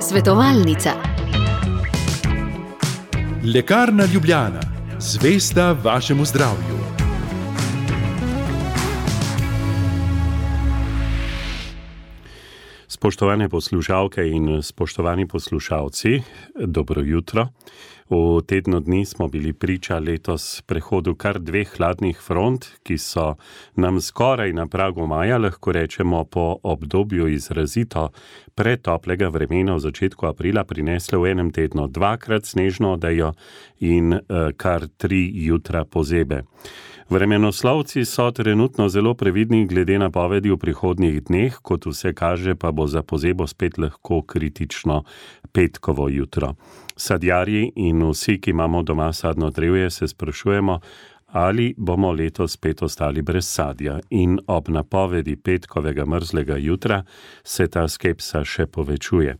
Svetovalnica. Lekarna Ljubljana, zvesta vašemu zdravju. Spoštovane poslušalke in spoštovani poslušalci, dobro jutro. V tednu dni smo bili priča letos prehodu kar 2 hladnih front, ki so nam skoraj na pragu maja, lahko rečemo po obdobju izrazito pretoplega vremena v začetku aprila, prinesle v enem tednu 2-krat snežno odejo in kar 3 jutra pozebe. Vremenoslovci so trenutno zelo previdni glede napovedi v prihodnjih dneh, kot vse kaže, pa bo za pozebo spet lahko kritično petkovo jutro. Sadjarji in vsi, ki imamo doma sadno drevje, se sprašujemo, ali bomo letos spet ostali brez sadja. In ob napovedi petkovega mrzlega jutra se ta skepsa še povečuje.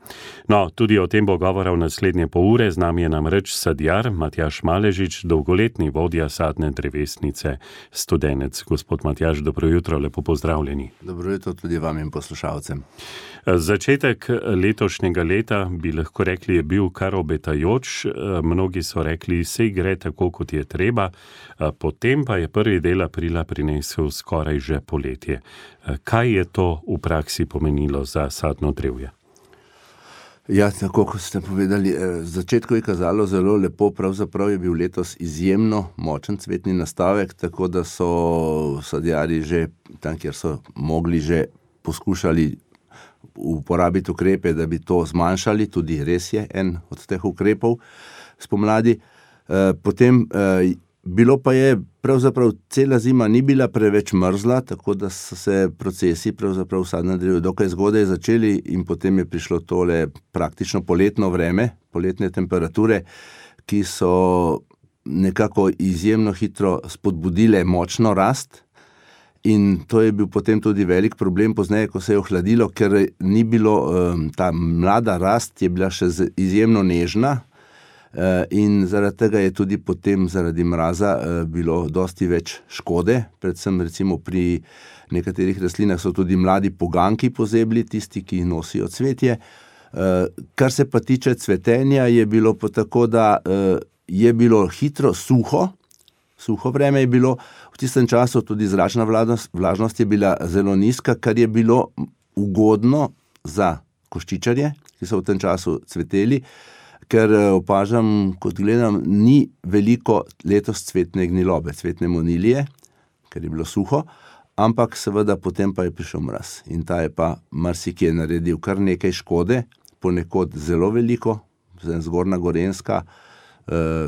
No, tudi o tem bo govora v naslednje pol ure. Z nami je namreč sadjar Matjaž Maležič, dolgoletni vodja sadne drevesnice Studenec. Gospod Matjaž, dobro jutro, lepo pozdravljeni. Dobro jutro tudi vam in poslušalcem. Začetek letošnjega leta, bi lahko rekli, je bil kar obetajoč. Mnogi so rekli, sej gre tako, kot je treba. Potem pa je prvi del aprila prinesel skoraj že poletje. Kaj je to v praksi pomenilo za sadno drevje? Ja, tako kot ste povedali, začetku je kazalo zelo lepo, pravzaprav je bil letos izjemno močen cvetni nastavek, tako da so sadjarji že tam, kjer so mogli, že poskušali uporabiti ukrepe, da bi to zmanjšali, tudi res je en od teh ukrepov spomladi. Potem bilo pa je, pravzaprav cela zima ni bila preveč mrzla, tako da so se procesi pravzaprav v sadnem drevju dokaj zgodaj začeli in potem je prišlo tole praktično poletno vreme, poletne temperature, ki so nekako izjemno hitro spodbudile močno rast. In to je bil potem tudi velik problem pozneje, ko se je ohladilo, ker ni bilo, ta mlada rast je bila še izjemno nežna in zaradi tega je tudi potem zaradi mraza bilo dosti več škode, predvsem recimo pri nekaterih rastlinah so tudi mladi poganjki pozebli, tisti, ki nosijo cvetje. Kar se pa tiče cvetenja, je bilo pa tako, da je bilo hitro suho vreme je bilo, v tistem času tudi zračna vlažnost je bila zelo nizka, kar je bilo ugodno za koščičarje, ki so v tem času cveteli, ker opažam, kot gledam, ni veliko letos cvetne gnilobe, cvetne monilije, ker je bilo suho, ampak seveda potem pa je prišel mraz in ta je pa marsikje naredil kar nekaj škode, ponekod zelo veliko, Zgornja Gorenjska,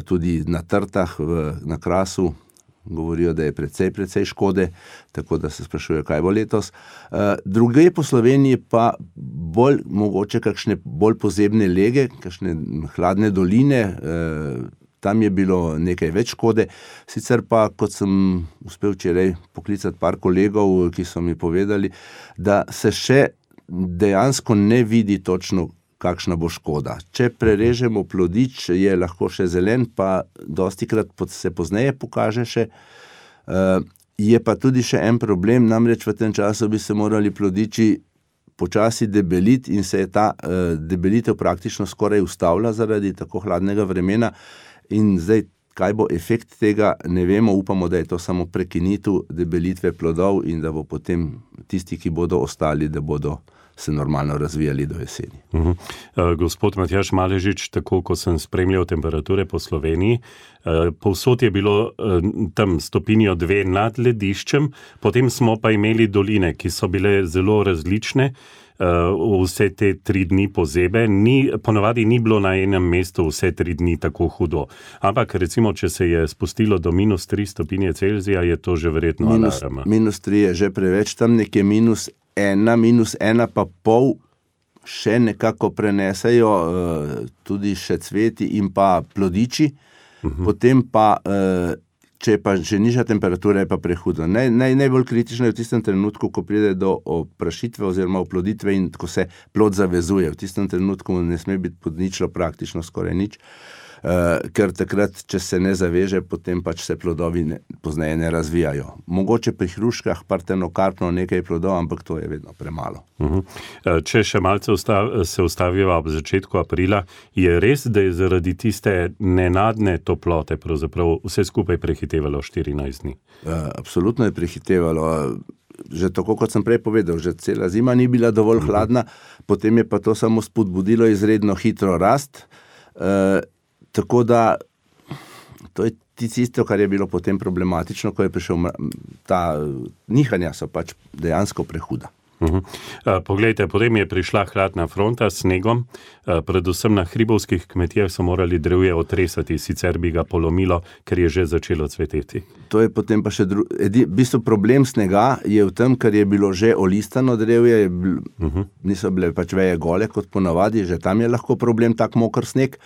tudi na Trtah, na Krasu, govorijo, da je precej škode, tako da se sprašuje, kaj bo letos. Druge po Sloveniji pa bolj mogoče kakšne bolj pozebne lege, kakšne hladne doline, tam je bilo nekaj več škode. Sicer pa, kot sem uspel včeraj poklicati par kolegov, ki so mi povedali, da se še dejansko ne vidi točno, kakšna bo škoda. Če prerežemo plodič, je lahko še zelen, pa dostikrat se pozneje pokaže še. Je pa tudi še en problem, namreč v tem času bi se morali plodiči počasi debeliti in se je ta debelitev praktično skoraj ustavila zaradi tako hladnega vremena in zdaj, kaj bo efekt tega, ne vemo, upamo, da je to samo prekinitev debelitve plodov in da bo potem tisti, ki bodo ostali, da bodo se normalno razvijali do jeseni. Gospod Matjaž Maležič, tako ko sem spremljal temperature po Sloveniji, povsod je bilo tam 1-2 stopinje nad lediščem, potem smo pa imeli doline, ki so bile zelo različne, vse te 3 dni pozebe, ponavadi ni bilo na enem mestu vse 3 dni tako hudo. Ampak recimo, če se je spustilo do -3 stopinje Celzija, je to že verjetno alarm. -3 je že preveč, tam nekje -1,5 še nekako prenesejo tudi še cveti in pa plodiči, potem pa, če pa že nižja temperatura, je pa prehudo. Najbolj kritično je v tistem trenutku, ko pride do oprašitve oziroma oploditve in ko se plod zavezuje. V tistem trenutku ne sme biti pod ničlo praktično skoraj nič. ker takrat, če se ne zaveže, potem pač se plodovi pozneje ne razvijajo. Mogoče pri hruškah partenokarpno nekaj plodov, ampak to je vedno premalo. Če še malce se ustaviva ob začetku aprila, je res, da je zaradi tiste nenadne toplote pravzaprav vse skupaj prehitevalo 14 dni? Absolutno je prehitevalo. Že tako, kot sem prej povedal, že cela zima ni bila dovolj hladna, potem je pa to samo spodbudilo izredno hitro rast. Tako da to je tisto, kar je bilo potem problematično, ko je prišel ta nihanja so pač dejansko prehuda. Poglejte, potem je prišla hladna fronta s snegom, predvsem na hribovskih kmetijah so morali drevje otresati, sicer bi ga polomilo, ker je že začelo cveteti. To je potem pa še v bistvu problem snega je v tem, ker je bilo že olistano drevje, niso bile pač veje gole kot ponavadi, že tam je lahko problem tak moker sneg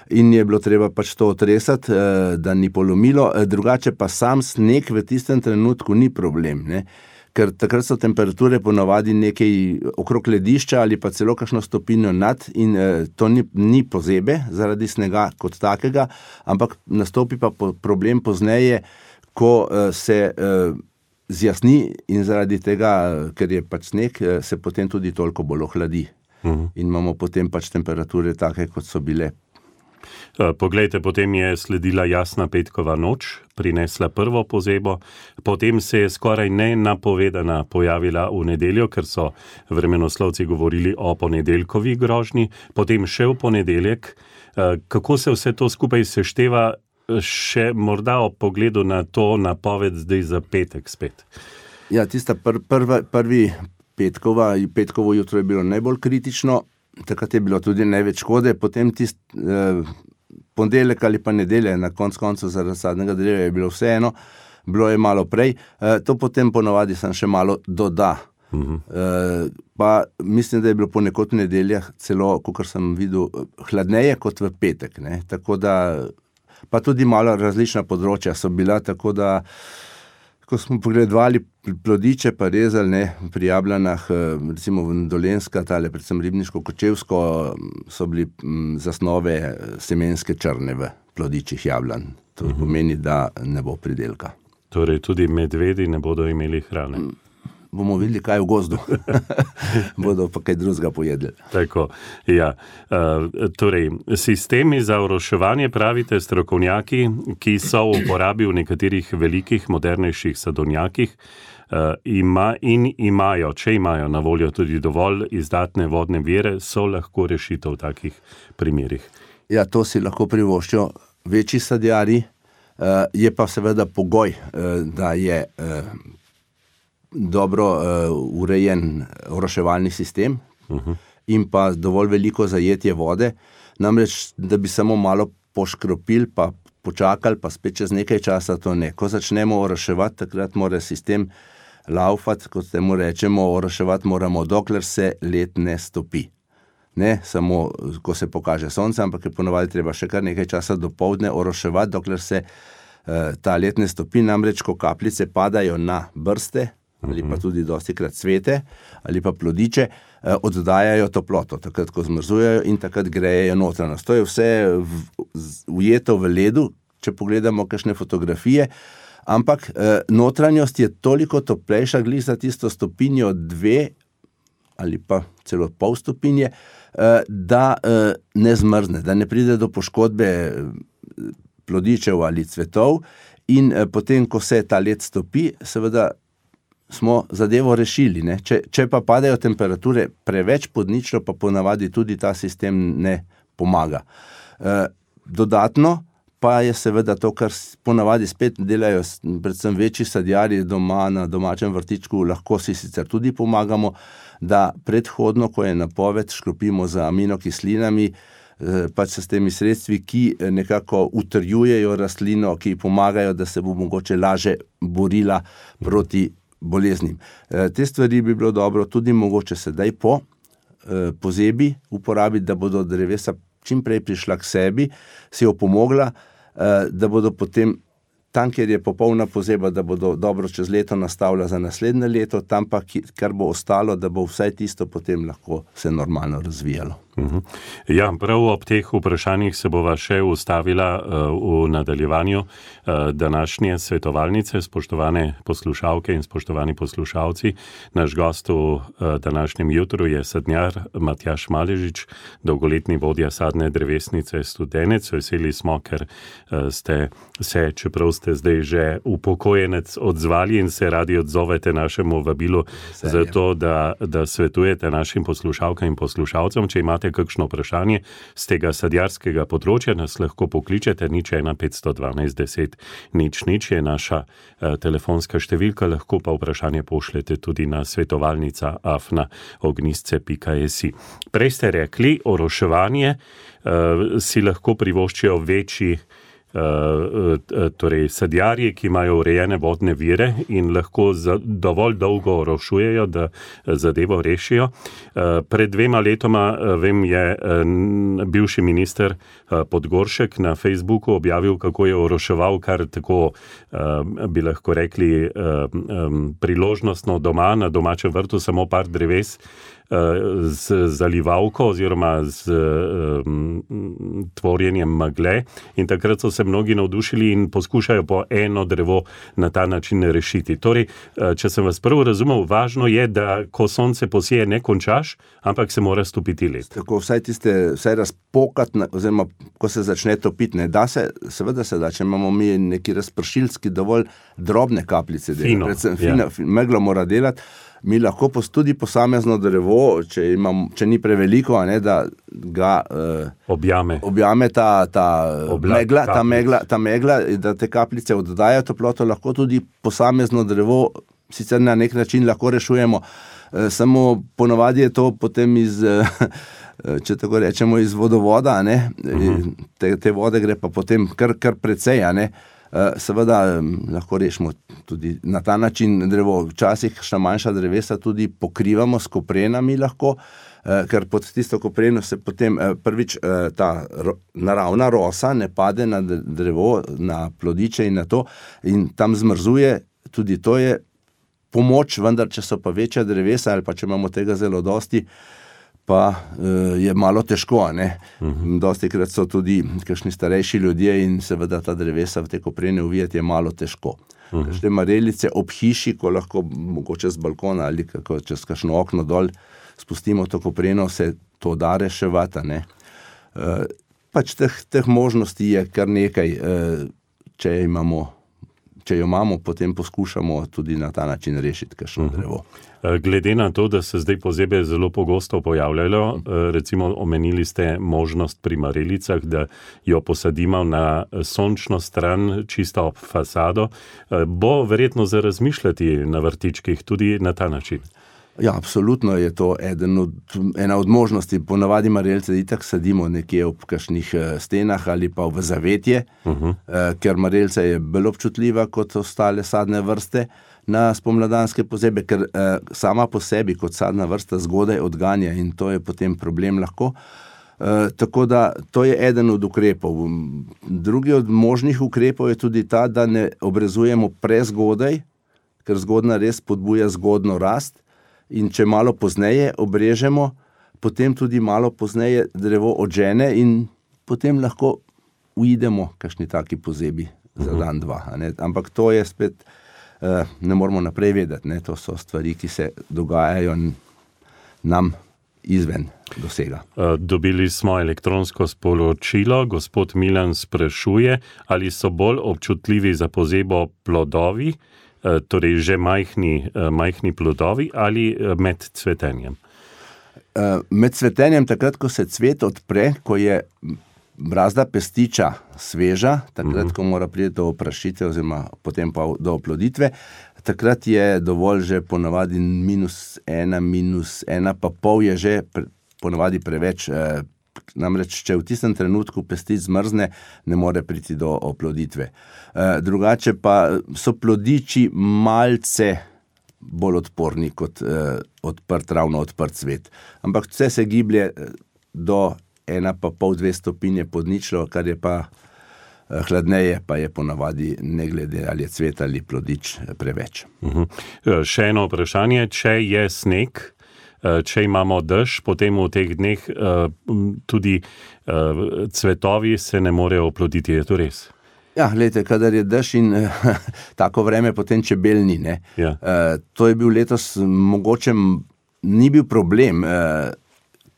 in je bilo treba pač to otresati, da ni polomilo, drugače pa sam sneg v tistem trenutku ni problem, ne? Ker takrat so temperature ponavadi nekaj okrog ledišča ali pa celo kakšno stopinjo nad in to ni pozebe zaradi snega kot takega, ampak nastopi pa problem pozneje, ko se zjasni in zaradi tega, ker je pač sneg, se potem tudi toliko bolj ohladi. In imamo potem pač temperature take, kot so bile. Poglejte, potem je sledila jasna petkova noč, prinesla prvo pozebo, potem se je skoraj nenapovedana pojavila v nedeljo, ker so vremenoslovci govorili o ponedeljkovi grožnji, potem še v ponedeljek. Kako se vse to skupaj sešteva, še morda ob pogledu na to napoved zdaj za petek spet? Ja, tista prvi petkovo jutro je bilo najbolj kritično, takrat je bilo tudi največ škode, potem ponedeljek ali pa nedelje, na koncu zaradi sadnega drevja je bilo vseeno, bilo je malo prej, to potem ponavadi sem še malo doda. Pa mislim, da je bilo ponekod v nedeljah celo, kakor sem videl, hladneje kot v petek, ne? Tako da, pa tudi malo različna področja so bila, tako da ko smo pogledovali plodiče pa rezali, ne, pri jablanah, recimo v Dolenjska, tale predvsem Ribniško-Kočevsko, so bili zasnove semenske črne v plodičih jablan. To pomeni, da ne bo pridelka. Torej tudi medvedi ne bodo imeli hrane. Bomo videli, kaj v gozdu. Bodo pa kaj drugega pojedli. Tako, ja. Torej, sistemi za oroševanje, pravite strokovnjaki, ki so v uporabi v nekaterih velikih, modernejših sadovnjakih, imajo, če imajo na voljo tudi dovolj izdatne vodne vire, so lahko rešitev v takih primerih. Ja, to si lahko privoščijo večji sadjarji, je pa seveda pogoj, da je dobro urejen oroševalni sistem in pa dovolj veliko zajetje vode, namreč, da bi samo malo poškropili, pa počakali, pa spet čez nekaj časa to ne. Ko začnemo oroševati, takrat mora sistem laufati, kot temu rečemo, oroševati moramo, dokler se led ne stopi. Ne samo, ko se pokaže sonce, ampak je ponavadi treba še kar nekaj časa dopoldne oroševati, dokler se ta led ne stopi, namreč, ko kapljice padajo na brste, ali pa tudi dostikrat cvete, ali pa plodiče, oddajajo toploto, takrat, ko zmrzujejo in takrat grejejo notranjost. To je vse ujeto v ledu, če pogledamo kakšne fotografije, ampak notranjost je toliko toplejša, glih za tisto stopinjo 2 ali pa celo pol stopinje, da ne zmrzne, da ne pride do poškodbe plodičev ali cvetov in potem, ko se ta led stopi, seveda smo zadevo rešili, ne? Če pa padajo temperature preveč pod ničlo, pa ponavadi tudi ta sistem ne pomaga. Dodatno pa je seveda to, kar ponavadi spet delajo predvsem večji sadjarji doma na domačem vrtičku, lahko si sicer tudi pomagamo, da predhodno, ko je napoved, škropimo z aminokislinami, pač s temi sredstvi, ki nekako utrjujejo rastlino, ki pomagajo, da se bo mogoče laže borila proti boleznim. Te stvari bi bilo dobro tudi mogoče sedaj po pozebi uporabiti, da bodo drevesa čim prej prišla k sebi, si jo pomogla, da bodo potem tam, kjer je popolna pozeba, da bodo dobro čez leto nastavila za naslednje leto, tam pa, kar bo ostalo, da bo vsaj tisto potem lahko se normalno razvijalo. Ja, prav ob teh vprašanjih se bova še ustavila v nadaljevanju današnje svetovalnice. Spoštovane poslušalke in spoštovani poslušalci, naš gost v današnjem jutru je sadjar Matjaž Maležič, dolgoletni vodja sadne drevesnice Studenec. Veseli smo, ker ste se, čeprav ste zdaj že upokojenec, odzvali in se radi odzovete našemu vabilu zato, da svetujete našim poslušalkam in poslušalcem. Če imate kakšno vprašanje z tega sadjarskega področja, nas lahko pokličete 01 512 10 0 je naša telefonska številka, lahko pa vprašanje pošljete tudi na svetovalnica@ognjisce.si. Prej ste rekli, oroševanje si lahko privoščijo večji torej sadjarji, ki imajo urejene vodne vire in lahko dovolj dolgo orošujejo, da zadevo rešijo. Pred 2 letoma, vem, je bivši minister Podgoršek na Facebooku objavil, kako je oroševal kar tako, bi lahko rekli, priložnostno doma, na domačem vrtu, samo par dreves, z zalivalko oziroma z tvorjenjem megle, in takrat so se mnogi navdušili in poskušajo po eno drevo na ta način rešiti. Torej, če sem vas prvo razumel, važno je, da ko sonce posije, ne končaš, ampak se mora stopiti led. Tako vsaj razpokati, oziroma ko se začne topiti, ne da se, seveda se da, če imamo mi neki razpršilski dovolj drobne kapljice, predvsem meglo mora delati. Mi lahko tudi posamezno drevo, če ni preveliko, da ga objame ta megla, da te kapljice oddajajo toploto, lahko tudi posamezno drevo, sicer na nek način lahko rešujemo, samo ponavadi je to potem če tako rečemo, iz vodovoda, te vode gre pa potem kar precej, seveda lahko rešimo tudi na ta način drevo. Včasih kakšna manjša drevesa tudi pokrivamo s koprenami lahko, ker pod tisto kopreno se potem prvič ta naravna rosa ne pade na drevo, na plodiče in na to, in tam zmrzuje. Tudi to je pomoč, vendar če so pa večja drevesa ali pa če imamo tega zelo dosti, pa je malo težko, Dostikrat so tudi kakšni starejši ljudje in seveda ta drevesa v te koprene uvijati je malo težko. Kakšne marelice ob hiši, ko lahko mogoče z balkona ali čez kakšno okno dol spustimo to kopreno, se to da reševati, Pač teh možnosti je kar nekaj, če jo imamo, potem poskušamo tudi na ta način rešiti kakšno drevo. Glede na to, da se zdaj pozebe zelo pogosto pojavljajo, recimo omenili ste možnost pri marelicah, da jo posadimo na sončno stran, čisto ob fasado, bo verjetno za razmišljati na vrtičkih tudi na ta način. Ja, absolutno je to ena od možnosti. Ponavadi marelice itak sadimo nekje ob kakšnih stenah ali pa v zavetje, ker marelica je bolj občutljiva kot ostale sadne vrste na spomladanske pozebe, ker sama po sebi kot sadna vrsta zgodaj odganja in to je potem problem lahko. Tako da to je eden od ukrepov. Drugi od možnih ukrepov je tudi ta, da ne obrezujemo prezgodaj, ker zgodna res spodbuja zgodno rast. In če malo pozneje obrežemo, potem tudi malo pozneje drevo odžene in potem lahko uidemo kakšni taki pozebi za dan, dva. Ampak to je spet, ne moramo naprej vedeti. To so stvari, ki se dogajajo nam izven dosega. Dobili smo elektronsko sporočilo. Gospod Milan sprašuje, ali so bolj občutljivi za pozebo plodovi, torej že majhni plodovi, ali med cvetenjem? Med cvetenjem, takrat, ko se cvet odpre, ko je brazda pestiča sveža, takrat, ko mora priti do oprašitve oziroma potem pa do oploditve, takrat je dovolj že ponavadi -1, -1,5 je že ponavadi preveč. Namreč, če v tistem trenutku pestič zmrzne, ne more priti do oploditve. Drugače pa so plodiči malce bolj odporni kot ravno odprt cvet. Ampak vse se giblje do 1,5-2 stopinje pod ničlo, kar je pa hladneje, pa je ponavadi, ne glede ali je cvet ali plodič, preveč. Še eno vprašanje, če je sneg, če imamo dež, potem v teh dneh tudi cvetovi se ne morejo oploditi, je to res? Ja, gledajte, kadar je dež in tako vreme, potem čebel ni, ne. Ja. To je bil letos, mogoče ni bil problem,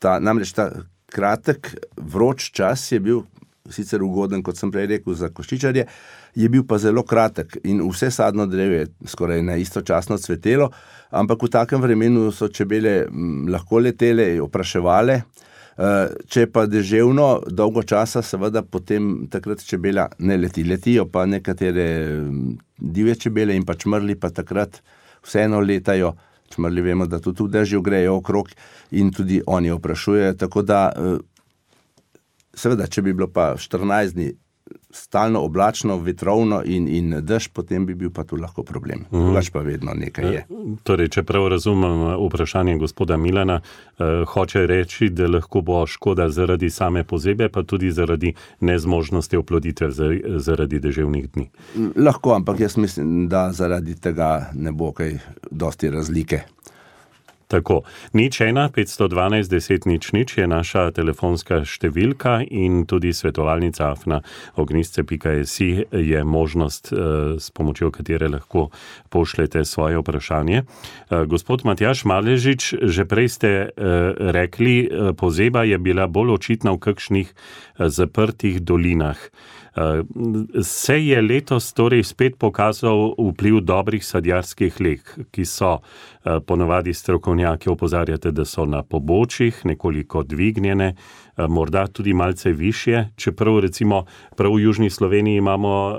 namreč ta kratek, vroč čas je bil sicer ugoden, kot sem prej rekel, za koščičarje, je bil pa zelo kratek in vse sadno drevo je skoraj na istočasno cvetelo, ampak v takem vremenu so čebele lahko letele, opraševale. Če pa deževno, dolgo časa, seveda potem takrat čebela ne leti. Letijo pa nekatere divje čebele in pa čmrli pa takrat vseeno letajo. Čmrli vemo, da tudi v dežju grejo okrog in tudi oni oprašujejo, tako da seveda, če bi bilo pa 14 dni stalno oblačno, vetrovno in dež, potem bi bil pa tu lahko problem. Drugač pa vedno nekaj je. Torej, če prav razumem vprašanje gospoda Milana, hoče reči, da lahko bo škoda zaradi same pozebe, pa tudi zaradi nezmožnosti oploditve zaradi deževnih dni. Lahko, ampak jaz mislim, da zaradi tega ne bo kaj dosti razlike. Tako, 01512 10 00 je naša telefonska številka in tudi svetovalnica afna@ognisce.si je možnost, s pomočjo katere lahko pošljete svoje vprašanje. Gospod Matjaž Maležič, že prej ste rekli, pozeba je bila bolj očitna v kakšnih zaprtih dolinah. Se je letos torej spet pokazal vpliv dobrih sadjarskih leg, ki so ponavadi strokovnjaki opozarjate, da so na pobočjih nekoliko dvignjene, morda tudi malce višje, čeprav recimo prav v južni Sloveniji imamo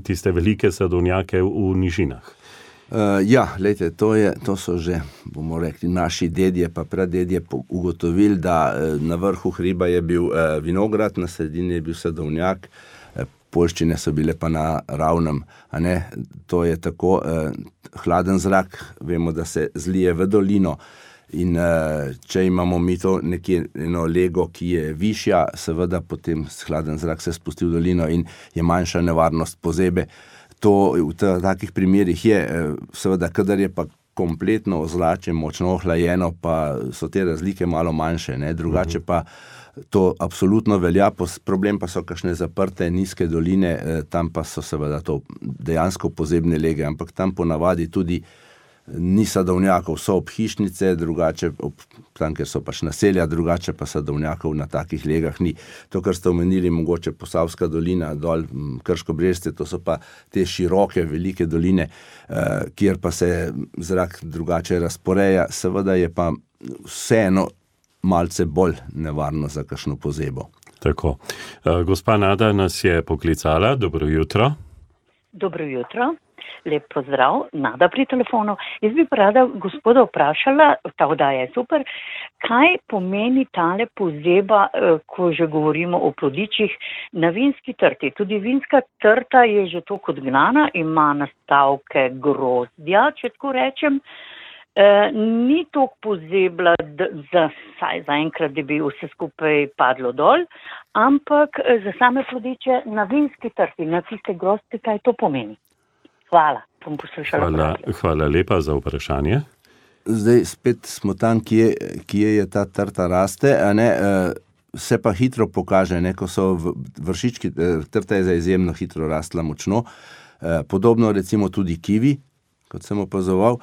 tiste velike sadovnjake v nižinah. Ja, lejte, to so že, bomo rekli, naši dedje pa pradedje ugotovili, da na vrhu hriba je bil vinograd, na sredini je bil sadovnjak, poljščine so bile pa na ravnem, a ne, to je tako, hladen zrak, vemo, da se zlije v dolino in če imamo mi to nekje eno lego, ki je višja, seveda potem hladen zrak se spusti v dolino in je manjša nevarnost pozebe. To v takih primerih je, seveda, kadar je pa kompletno ozračje, močno ohlajeno, pa so te razlike malo manjše, ne, drugače pa to absolutno velja, problem pa so kakšne zaprte, nizke doline, tam pa so seveda to dejansko pozebne lege, ampak tam ponavadi tudi ni sadovnjakov, so obhišnice, drugače, tam, ker so pač naselja, drugače pa sadovnjakov na takih legah ni. To, kar ste omenili, mogoče Posavska dolina, dol Krško-Brežce, to so pa te široke, velike doline, kjer pa se zrak drugače razporeja, seveda je pa vseeno malce bolj nevarno za kakšno pozebo. Tako. Gospa Nada nas je poklicala. Dobro jutro. Dobro jutro. Lep pozdrav. Nada pri telefonu. Jaz bi pa rada gospoda vprašala, ta oddaja je super, kaj pomeni tale pozeba, ko že govorimo o plodičih, na vinski trti. Tudi vinska trta je že toliko odgnana, ima nastavke grozdja, če tako rečem. Ni toliko pozebla, saj zaenkrat, da bi vse skupaj padlo dol, ampak za same plodiče na vinski trti, na tiste grozdke, kaj to pomeni? Hvala, bom poslušala. Hvala lepa za vprašanje. Zdaj spet smo tam, kje je ta trta raste, a ne, se pa hitro pokaže, ne, ko so vršički, trta je za izjemno hitro rastla močno, podobno recimo tudi kivi, kot sem opazoval.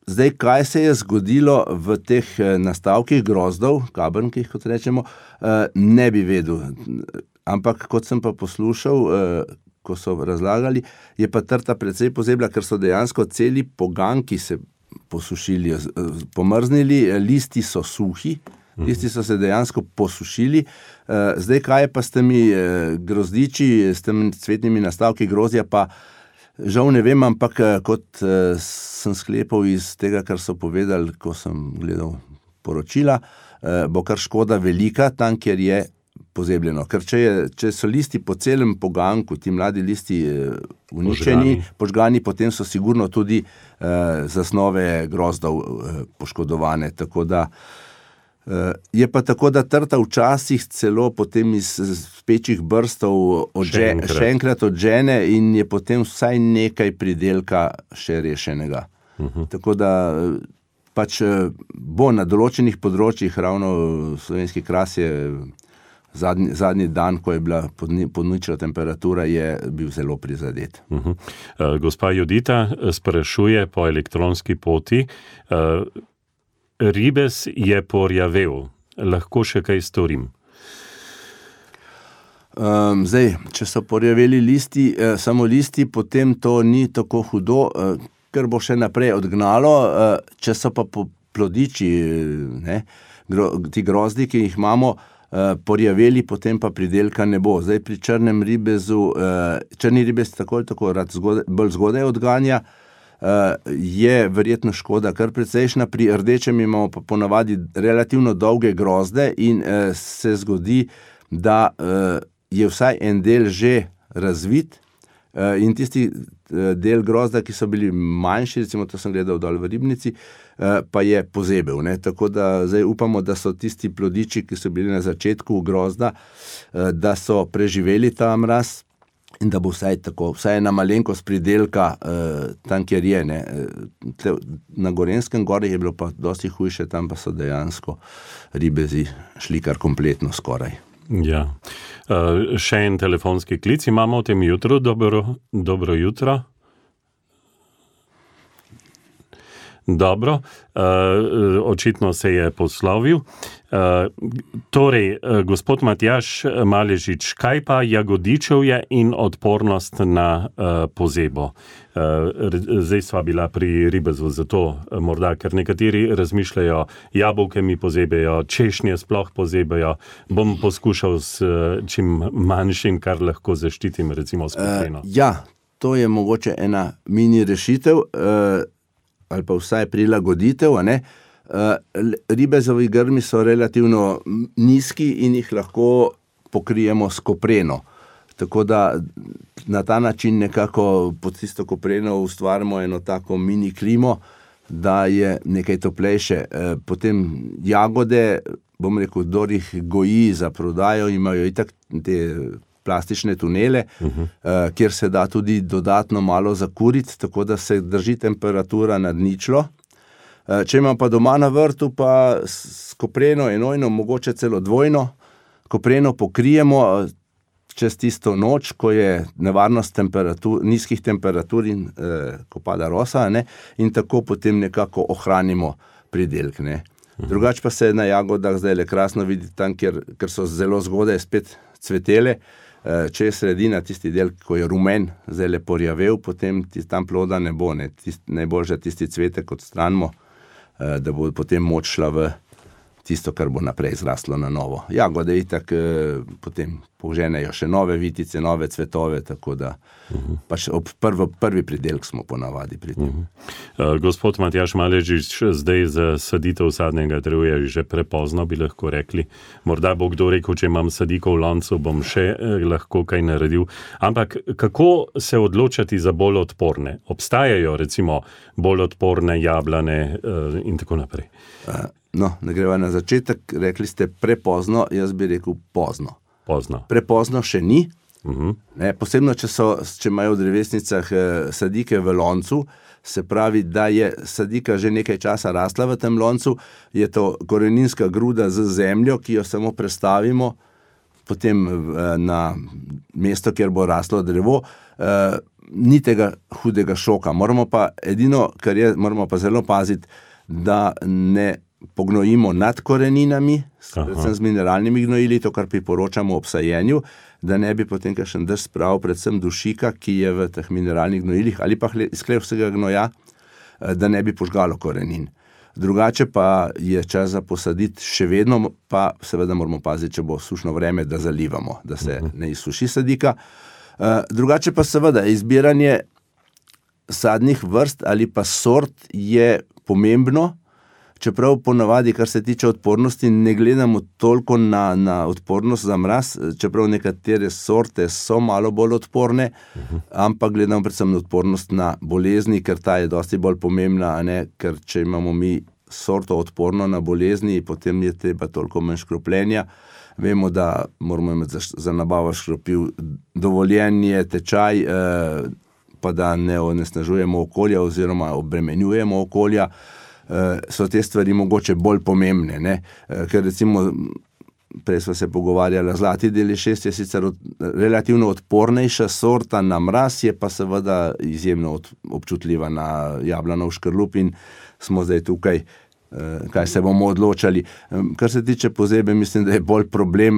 Zdaj, kaj se je zgodilo v teh nastavkih grozdov, kabrnkih, kot rečemo, ne bi vedel. Ampak, kot sem pa poslušal, ko so razlagali, je pa trta precej pozebla, ker so dejansko celi poganki se posušili, pomrznili, listi so suhi, listi so se dejansko posušili. Zdaj, kaj je pa s temi grozdiči, s temi cvetnimi nastavki grozdja, pa žal ne vem, ampak kot sem sklepal iz tega, kar so povedali, ko sem gledal poročila, bo kar škoda velika tam, kjer je pozebljeno. Ker če so listi po celem poganku, ti mladi listi uničeni, požgani, potem so sigurno tudi zasnove grozdov poškodovane. Tako da je pa tako, da trta včasih celo potem iz pečjih brstov še enkrat odžene in je potem vsaj nekaj pridelka še rešenega. Tako da pač bo na določenih področjih, ravno slovenski kras je zadnji dan, ko je bila podnična temperatura, je bil zelo prizadet. Gospa Judita sprašuje po elektronski poti, ribez je porjavel, lahko še kaj storim? Zdaj, če so porjaveli listi, samo listi, potem to ni tako hudo, ker bo še naprej odgnalo, če so pa plodiči, ti grozdi, ki jih imamo, porjaveli, potem pa pridelka ne bo. Zdaj pri črnem ribezu, črni ribez tako rad bolj zgodaj odganja, je verjetno škoda kar precejšna, pri rdečem imamo pa ponavadi relativno dolge grozde in se zgodi, da je vsaj en del že razvit in tisti del grozda, ki so bili manjši, recimo to sem gledal dol v Ribnici, pa je pozebel. Tako da zdaj upamo, da so tisti plodiči, ki so bili na začetku grozda, da so preživeli ta mraz in da bo vsaj ena malenkost pridelka tam, kjer je. Na Gorenjskem gori je bilo pa dosti hujše, tam pa so dejansko ribezi šli kar kompletno skoraj. Ja. Še en telefonski klic imamo v tem jutru. Dobro jutro. Dobro, očitno se je poslovil. Torej, gospod Matjaž Maležič, kaj pa jagodičevje in odpornost na pozebo? Zdaj sva bila pri ribezu, zato morda, ker nekateri razmišljajo, jabolke mi pozebejo, češnje sploh pozebejo, bom poskušal s čim manjšim, kar lahko zaščitim, recimo s kopreno. Ja, to je mogoče ena mini rešitev, ali pa vsaj prilagoditev, ribezovi grmi so relativno nizki in jih lahko pokrijemo s kopreno. Tako da na ta način nekako pod tisto kopreno ustvarimo eno tako mini klimo, da je nekaj toplejše. Potem jagode, bom rekel, kdor jih goji za prodajo, imajo itak te plastične tunele, kjer se da tudi dodatno malo zakuriti, tako da se drži temperatura nad ničlo. Če imam pa doma na vrtu, pa s kopreno enojno, mogoče celo dvojno, kopreno pokrijemo čez tisto noč, ko je nevarnost nizkih temperatur in ko pada rosa, in tako potem nekako ohranimo pridelk. Drugače pa se na jagodah zdaj le krasno vidi tam, ker so zelo zgodaj spet cvetele. Če je sredina, tisti del, ko je rumen, zdaj le porjavel, potem tam ploda ne bo. Najboljše tisti cvetek odstranimo, da bo potem moč šla v tisto, kar bo naprej zraslo na novo. Jagode itak potem poženejo še nove vitice, nove cvetove, tako da pač ob prvi pridelk smo ponavadi pri tem. Gospod Matjaž Maležič, zdaj za saditev sadnega drevja je že prepozno, bi lahko rekli. Morda bo kdo rekel, če imam sadiko v loncu, bom še lahko kaj naredil. Ampak kako se odločati za bolj odporne? Obstajajo recimo bolj odporne jablane in tako naprej. No, ne greva na začetek, rekli ste prepozno, jaz bi rekel pozno. Prepozno še ni. Posebno, če imajo v drevesnicah sadike v loncu, se pravi, da je sadika že nekaj časa rasla v tem loncu, je to koreninska gruda z zemljo, ki jo samo prestavimo potem na mesto, kjer bo raslo drevo, ni tega hudega šoka. Moramo pa zelo paziti, da ne pognojimo nad koreninami, predvsem z mineralnimi gnojili, to, kar priporočamo ob sajenju, da ne bi potem kakšen dež spravil, predvsem dušika, ki je v teh mineralnih gnojilih, ali pa iz hlevskega gnoja, da ne bi požgalo korenin. Drugače pa je čas za posaditi, še vedno pa seveda moramo paziti, če bo sušno vreme, da zalivamo, da se ne izsuši sadika. Drugače pa seveda izbiranje sadnih vrst ali pa sort je pomembno, čeprav ponavadi, kar se tiče odpornosti, ne gledamo toliko na odpornost za mraz, čeprav nekatere sorte so malo bolj odporne, ampak gledamo predvsem na odpornost na bolezni, ker ta je dosti bolj pomembna, ker če imamo mi sorto odporno na bolezni, potem je treba toliko manj škropljenja. Vemo, da moramo imeti za nabavo škropiv dovoljenje, tečaj, pa da ne onesnažujemo okolja oziroma obremenjujemo okolja. so te stvari mogoče bolj pomembne, ne? Ker recimo prej sva se pogovarjala, zlati DL6 je sicer relativno odpornejša sorta na mraz, je pa seveda izjemno občutljiva na jablanov škrlup in smo zdaj tukaj, kaj se bomo odločali. Kar se tiče pozebe, mislim, da je bolj problem,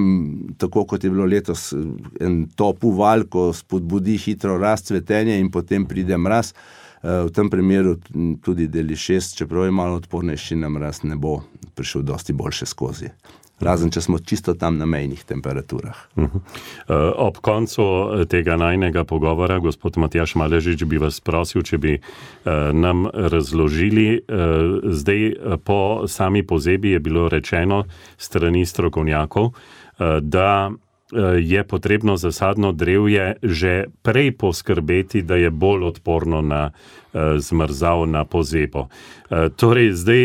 tako kot je bilo letos, en top uval, ko spodbudi hitro rast, cvetenje in potem pride mraz. V tem primeru tudi DL6, čeprav je malo odpornejši na mraz, ne bo prišel dosti boljše skozi. Razen, če smo čisto tam na mejnih temperaturah. Ob koncu tega najnega pogovora, gospod Matjaž Maležič, bi vas prosil, če bi nam razložili, zdaj po sami pozebi je bilo rečeno strani strokovnjakov, da je potrebno za sadno drevje že prej poskrbeti, da je bolj odporno na zmrzav, na pozebo. Torej, zdaj,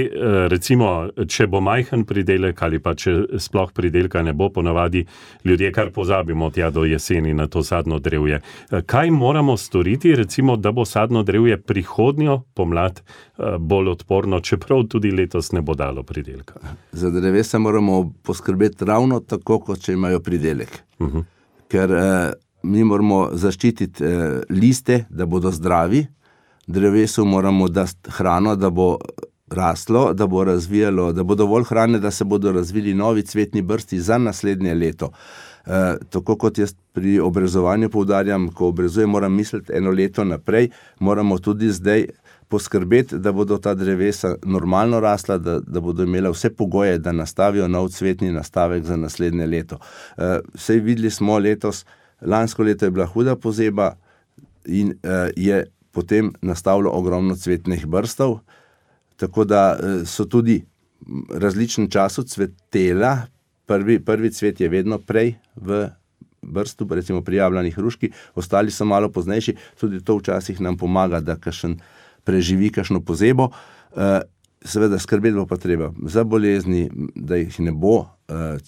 recimo, če bo majhen pridelek ali pa če sploh pridelka ne bo, ponavadi ljudje kar pozabimo tja do jeseni na to sadno drevje. Kaj moramo storiti, recimo, da bo sadno drevje prihodnjo pomlad bolj odporno, čeprav tudi letos ne bo dalo pridelka? Za drevesa moramo poskrbeti ravno tako, kot če imajo pridelek. Ker mi moramo zaščititi liste, da bodo zdravi, drevesu moramo dati hrano, da bo raslo, da bo razvijalo, da bo dovolj hrane, da se bodo razvili novi cvetni brsti za naslednje leto. Tako kot jaz pri obrezovanju poudarjam, ko obrezujem, moram misliti eno leto naprej, moramo tudi zdaj poskrbeti, da bodo ta drevesa normalno rasla, da bodo imela vse pogoje, da nastavijo nov cvetni nastavek za naslednje leto. Sej videli smo letos, lansko leto je bila huda pozeba in je potem nastavilo ogromno cvetnih brstov, tako da so tudi v različnem času cvetela. Prvi cvet je vedno prej v brstu, recimo pri jablani hruški, ostali so malo poznejši, tudi to včasih nam pomaga, da kakšen preživi kakšno pozebo. Seveda skrbeti bo pa treba za bolezni, da jih ne bo.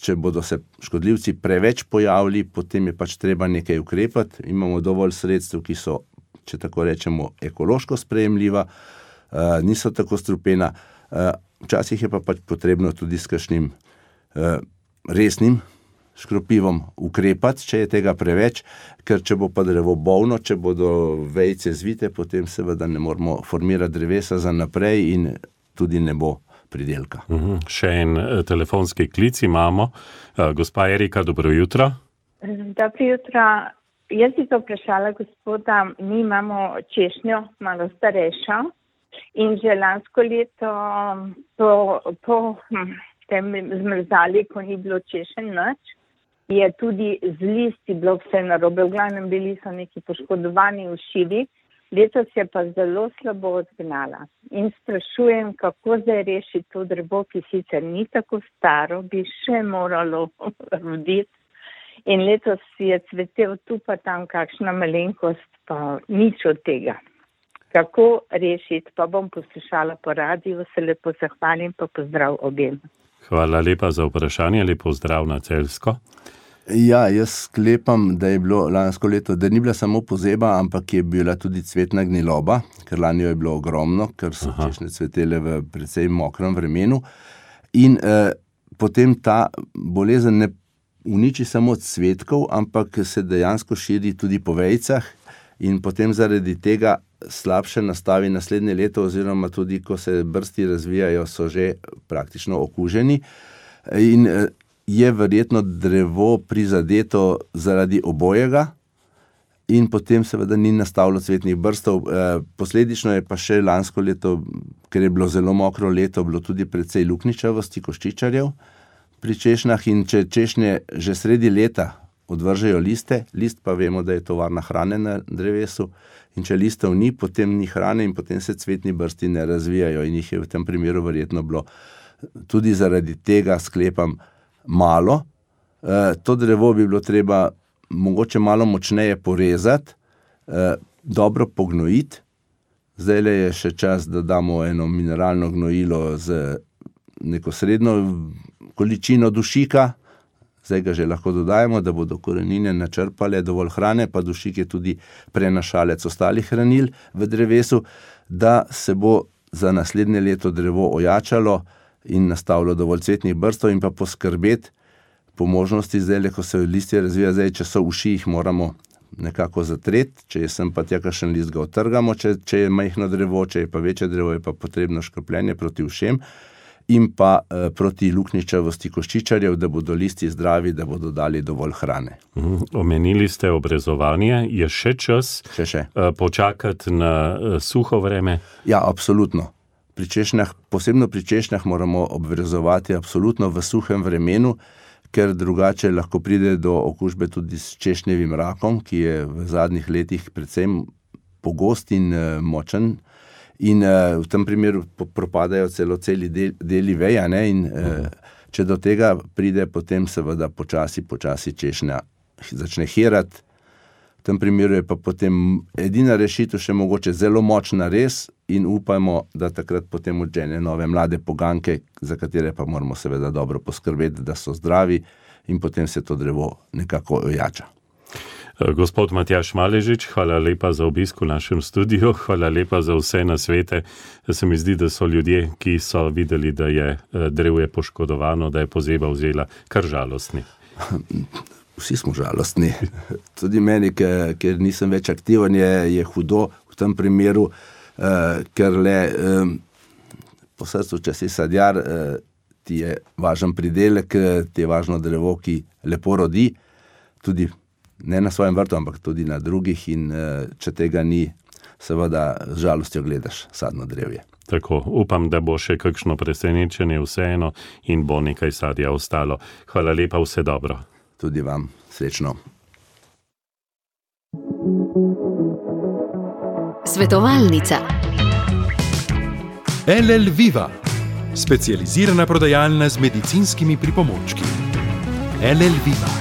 Če bodo se škodljivci preveč pojavili, potem je pač treba nekaj ukrepati. Imamo dovolj sredstev, ki so, če tako rečemo, ekološko sprejemljiva, niso tako strupena. Včasih je pa pač potrebno tudi s kakšnim resnim škropivom ukrepati, če je tega preveč, ker če bo pa drevo bolno, če bodo vejice zvite, potem seveda ne moramo formirati drevesa za naprej in tudi ne bo pridelka. Še en telefonski klic imamo. Gospa Erika, dobro jutro. Dobro jutro. Jaz bi to vprašala gospoda, mi imamo češnjo, malo starejšo, in že lansko leto po tem zmrzali, ko ni bilo češen nič, je tudi z listi bilo vse narobe, v glavnem bili so neki poškodovani ušivi, letos je pa zelo slabo odgnala. In sprašujem, kako zdaj rešiti to drevo, ki sicer ni tako staro, bi še moralo roditi. In letos je cvetel tu pa tam kakšna malenkost, pa nič od tega. Kako rešiti, pa bom poslušala po radiju, se lepo zahvalim, pa pozdrav objem. Hvala lepa za vprašanje, lepo zdrav na Celjsko. Ja, jaz sklepam, da je bilo lansko leto, da ni bila samo pozeba, ampak je bila tudi cvetna gniloba, ker lani jo je bilo ogromno, ker so češnje cvetele v precej mokrem vremenu. In potem ta bolezen ne uniči samo cvetkov, ampak se dejansko širi tudi po vejicah in potem zaradi tega slabše nastavi naslednje leto oziroma tudi, ko se brsti razvijajo, so že praktično okuženi in je verjetno drevo prizadeto zaradi obojega in potem seveda ni nastavilo cvetnih brstov. Posledično je pa še lansko leto, ker je bilo zelo mokro leto, bilo tudi precej lukničavosti koščičarjev pri češnjah in če češnje že sredi leta odvržejo liste, list pa vemo, da je tovarna hrane na drevesu in če listov ni, potem ni hrane in potem se cvetni brsti ne razvijajo in jih je v tem primeru verjetno bilo tudi zaradi tega, sklepam, malo. To drevo bi bilo treba mogoče malo močneje porezati, dobro pognojiti. Zdajle je še čas, da damo eno mineralno gnojilo z neko srednjo količino dušika, zdaj ga že lahko dodajemo, da bodo korenine načrpale dovolj hrane, pa dušik je tudi prenašalec ostalih hranil v drevesu, da se bo za naslednje leto drevo ojačalo in nastavilo dovolj cvetnih brstov in pa poskrbeti po možnosti zdaj, ko se listje razvija, zdaj, če so uši, jih moramo nekako zatreti, če je sem pa tja kakšen list, ga otrgamo, če je majhno drevo, če je pa večje drevo, je pa potrebno škropljenje proti ušem in pa proti luknjičavosti koščičarjev, da bodo listi zdravi, da bodo dali dovolj hrane. Omenili ste obrezovanje, je še čas počakati na suho vreme? Ja, absolutno. Pri češnjah, posebno pri češnjah moramo obrezovati absolutno v suhem vremenu, ker drugače lahko pride do okužbe tudi s češnjevim rakom, ki je v zadnjih letih predvsem pogost in močen. In v tem primeru propadajo celi deli veja, ne? In če do tega pride, potem seveda počasi češnja začne hirati. V tem primeru je pa potem edina rešitev še mogoče zelo močna res in upajmo, da takrat potem odžene nove mlade poganke, za katere pa moramo seveda dobro poskrbeti, da so zdravi in potem se to drevo nekako ojača. Gospod Matjaž Maležič, hvala lepa za obisk v našem studiu, hvala lepa za vse nasvete. Se mi zdi, da so ljudje, ki so videli, da je drevje poškodovano, da je pozeba vzela, kar žalostni. Vsi smo žalostni. Tudi meni, ker nisem več aktiven, je hudo v tem primeru, ker le po srcu, če si sadjar, ti je važen pridelek, ti je važno drevo, ki lepo rodi, tudi ne na svojem vrtu, ampak tudi na drugih in če tega ni, seveda z žalostjo gledaš sadno drevje. Tako, upam, da bo še kakšno presenečenje vseeno in bo nekaj sadja ostalo. Hvala lepa, vse dobro. Tudi vam, srečno. Svetovalnica. LL Viva, specializirana prodajalna z medicinskimi pripomočki. LL Viva.